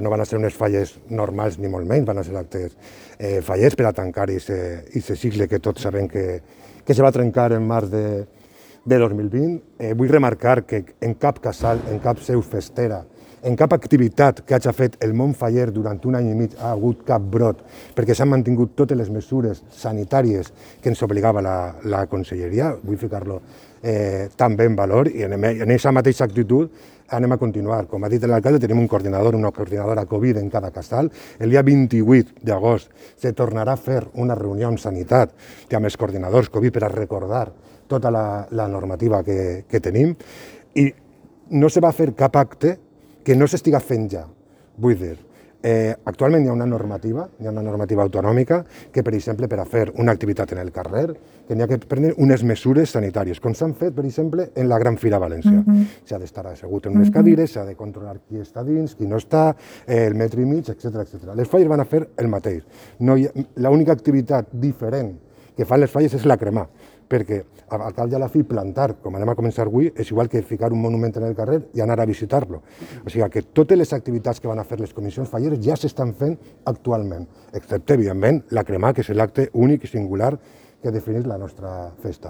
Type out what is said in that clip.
No van a ser unes falles normals ni molt menys, van a ser actes fallers per a tancar aquest cicle que tots sabem que se va trencar en març de 2020. Vull remarcar que en cap casal, en cap seu festera, en cap activitat que hagi fet el món faller durant un any i mig ha hagut cap brot, perquè s'han mantingut totes les mesures sanitàries que ens obligava la conselleria. Vull ficar-lo també en valor i en aquesta mateixa actitud anem a continuar. Com ha dit l'alcalde, tenim un coordinador, una coordinadora Covid en cada casal. El dia 28 d'agost se tornarà a fer una reunió amb Sanitat amb els coordinadors Covid per a recordar tota la normativa que tenim i no se va fer cap acte que no s'estiga fent ja. Vull dir, actualment hi ha una normativa autonòmica que, per exemple, per a fer una activitat en el carrer, que n'hi ha que prendre unes mesures sanitàries, com s'han fet, per exemple, en la Gran Fira València. S'ha d'estar assegut en unes cadires, s'ha de controlar qui està dins, qui no està, el metre i mig, etc. Les falles van a fer el mateix. L'única activitat diferent que fan les falles és la cremar, perquè al cap i a la fi plantar, com anem a començar avui, és igual que ficar un monument en el carrer i anar a visitar-lo. O sigui que totes les activitats que van a fer les comissions falleres ja s'estan fent actualment, excepte, evidentment, la cremar, que és l'acte únic i singular que defineix la nostra festa.